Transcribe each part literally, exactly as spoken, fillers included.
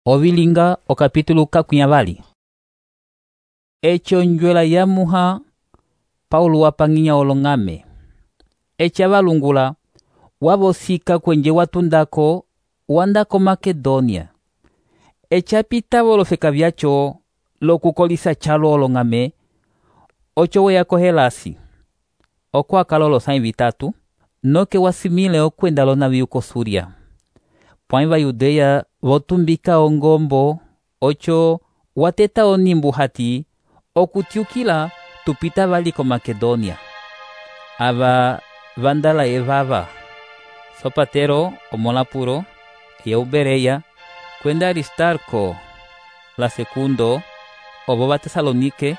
Ovilinga o capítulo kakunyavali. Echo njwela ya muha Paulo wapanginya olong'ame. Echa valungula wavosika kwenje watundako wandako Makedonia. Echa pita volofeka vyacho lokukolisa chalo olong'ame ocho weyako Helasi. Oko akala olosãyi vitatu noke wasimile okwenda lonaviu ko Suria. Pwãyi va Yudeya votumbika ongombo ocho wateta onimbu hati okutiukila tupita vali ko Makedonia. Ava vandala evava Sopatero omolapuro Eubereya kwenda Aristarco la segundo ovo va Tesalonike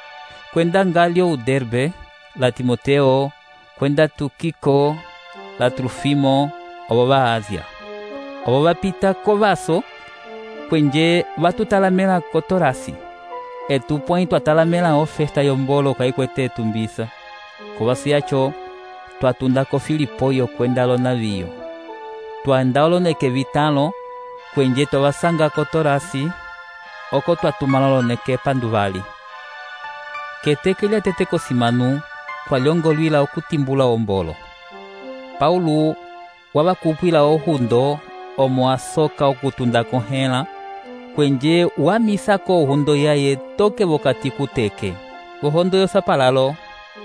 kwenda Galio Uderbe la Timoteo kwenda Tukiko la Trufimo ovo va Asia. Ovo vapita kovaso kwenje vatutalamela ko Torasi. Etu pwãyi twatalamela ofesta yombolo kaikwete etumbisa. Kovaso yacho twatunda ko Filipoyo kwenda lonaviyo. Twanda oloneke vitalo kwenje twavasanga ko Torasi oko twatumala oloneke panduvali. Keteke lya tete kosimanu twalyongolwila okutimbula ombolo. Paulo wavakupwila ohundo omo asoka okutunda kohela kwenje wamisako ohundo yaye toke vokati kuteke. Ohondo yosapalalo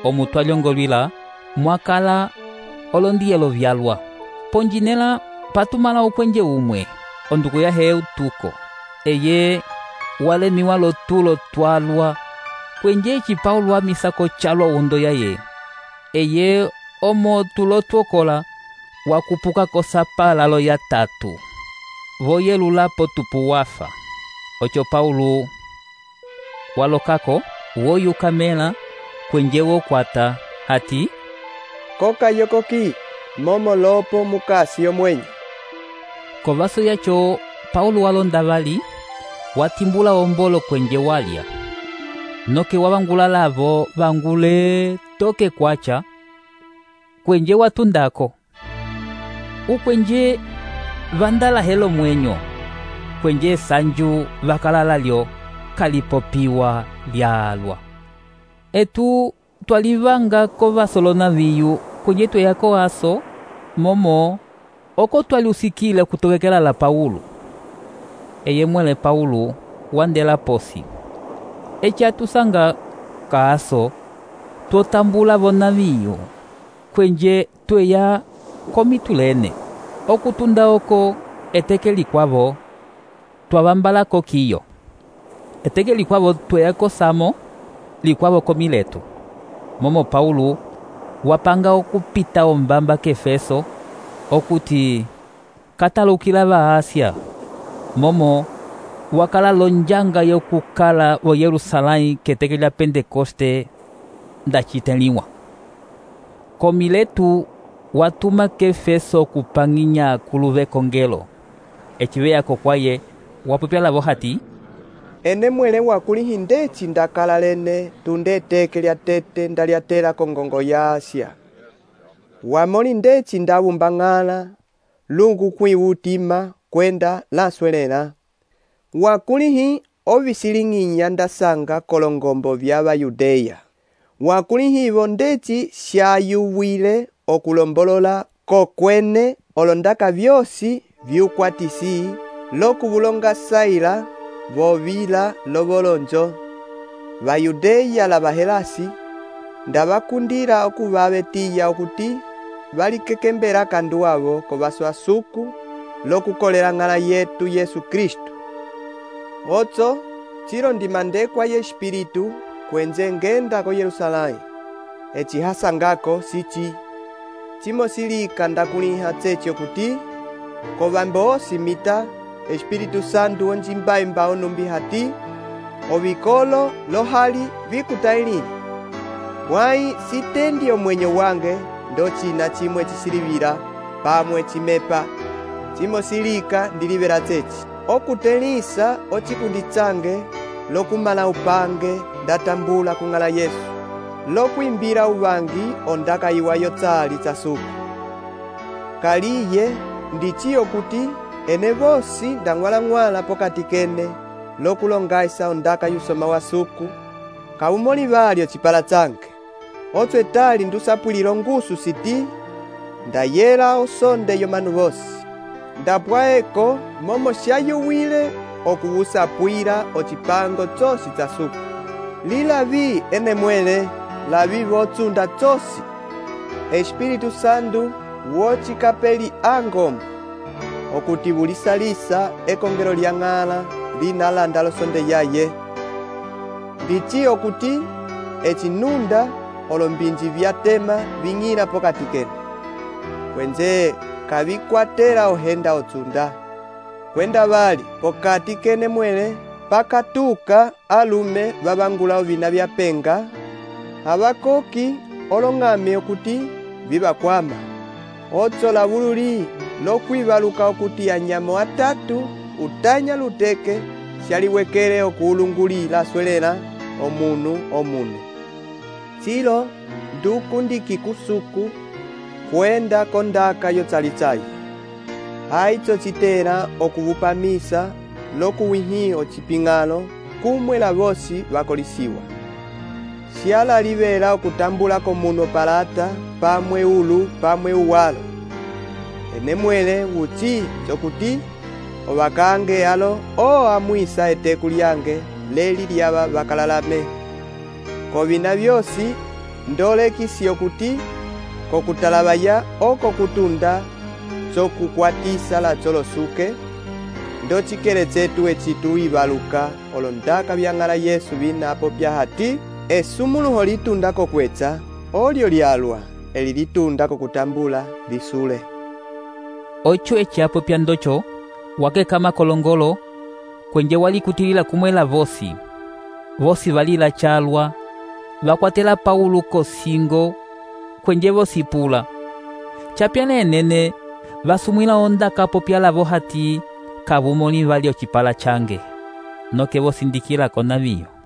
omu twalyongolwila mwakala olondiyelo vyalwa. Ponjinela patumala ukwenje umwe onduku yahe Eutuko eye walemiwa lotulo twalwa kwenje echi Paulo wamisako chalo ohundo yaye eye omo tulotwokola wakupuka kosapalalo ya tatu voyelulapo tupu wafa. Ocho Paulo walokako woyukamela kwenje wokwata hati koka yokoki momo lopo mukasi yomwenye. Kovaso yacho Paulo walonda vali watimbula ombolo kwenje walya noke wavangula lavo vangule toke kwacha kwenje watundako. Ukwenje vandala helo mwenyo kwenje sanju vakalala lyo kalipopiwa lyalwa. Etu twalivanga kovaso lonaviyu kwenje tweyako aso momo oko twaliusikile kutokekela la Paulo. Eye mwele Paulo wandela posi. Echa tusanga kaaso twotambula vonaviyu kwenje tweya komitulene okutunda oko eteke likwavo twavambalako kiyo. Eteke likwavo tweyako Samo likwavo ko Mileto. Momo Paulo wapanga okupita ombamba k'Efeso okuti katalukila va Asia. Momo wakala lonjanga yokukala vo Yerusalãyi keteke lya Pentekoste ndaciteliwa. Ko Mileto watuma k'Efeso kupanginya kuluve kongelo. Echiveyako kwaye wapupya lavo hati ene mwele wakulihi ndeci ndakala lene tunde eteke lya tete ndalyatela kongongo ya Asia. Wamoli ndeci ndavumbang'ala lungu kwiwutima kwenda laswelela. Wakulihi ovisiling'inya ndasanga kolongombo vya Bayudeya. Wakulihivo ndeci shayuwile okulombolola kokwene olondaka vyosi vyukwatisi lokuvulonga saila vovila lovolonjo. Bayudeya la Bahelasi ndavakundila okuvavetiya okuti valikekembela kandu wavo kovaso asuku lokukolela ng'ala yetu Yesu Kristu. Otso chilo ndimandekwa ye Espiritu kwenje ngenda ko Yerusalãyi. Eci hasangako sichi chimosilika ndakuliha tsechi okuti kovambo osi mita Espiritu Santu onjimbaimba onumbi hati ovikolo lohali vikutailini. Pwãyi sitendi omwenyo wange ndo china chimwe chisilivila pamwe chimepa chimosilika ndilivela tsechi okutelisa ochikundi change lokumala upange ndatambula kung'ala Yesu lokwimbila uvangi ondaka iwa yotsali chasuku. Kaliye ndichiyo kuti ene vosi ndang'walang'wala pokati kene lokulongaisa ondaka yusoma wa suku kawumoli valyo cipala canke otswe tali ndusapwilila ongusu siti ndayela osonde yomanu vosi ndapwaeko momo syayuwile okuwusapwila ocipango tsosi tsa suku lilavi ene mwele lavi votsunda tsosi Espiritu Santu wocikapeli angombo okuti bulisalisa ekongelo lya ng'ala linalanda losonde yaye ndici okuti ecinunda olombinji vyatema ving'ila pokati kene kwenze kavikwatela ohenda otsunda kwenda vali pokati kene mwele pakatuka alume vavangula ovina vyapenga avakoki olong'ame okuti vivakwama otsola vululi lokwivaluka okuti anyamo atatu utanya luteke syaliwekele okuulungulila swelela omunu omunu tsilo ndukundiki kusuku kwenda kondaka yotsalitsayi haitso citela okuvupamisa lokuwihi ociping'alo kumwe la vosi vakolisiwa syalaliwela okutambula komunu opalata pamwe ulu pamwe uwalo ene mwele wuci cokuti ovakange alo o amwisa eteku lyange leli lyava vakalalame kovina vyosi ndolekisi okuti kokutalavaya oko kutunda cokukwatisa la colosuke ndocikele cetu ecitu ivaluka olondaka vyang'ala Yesu vinapo pyahati esumuluho litunda kokwetsa olyo lyalwa eli litunda kokutambula lisule ocho eciapo pya ndocho wakeka makolongolo kwenje walikutilila kumwela vosi vosi valila chalwa vakwatela Paulo kosingo kwenje vosi pula chapyana enene vasumwila ondaka popyalavo hati kavumoni valyo cipala change noke vosi ndikilako naviyo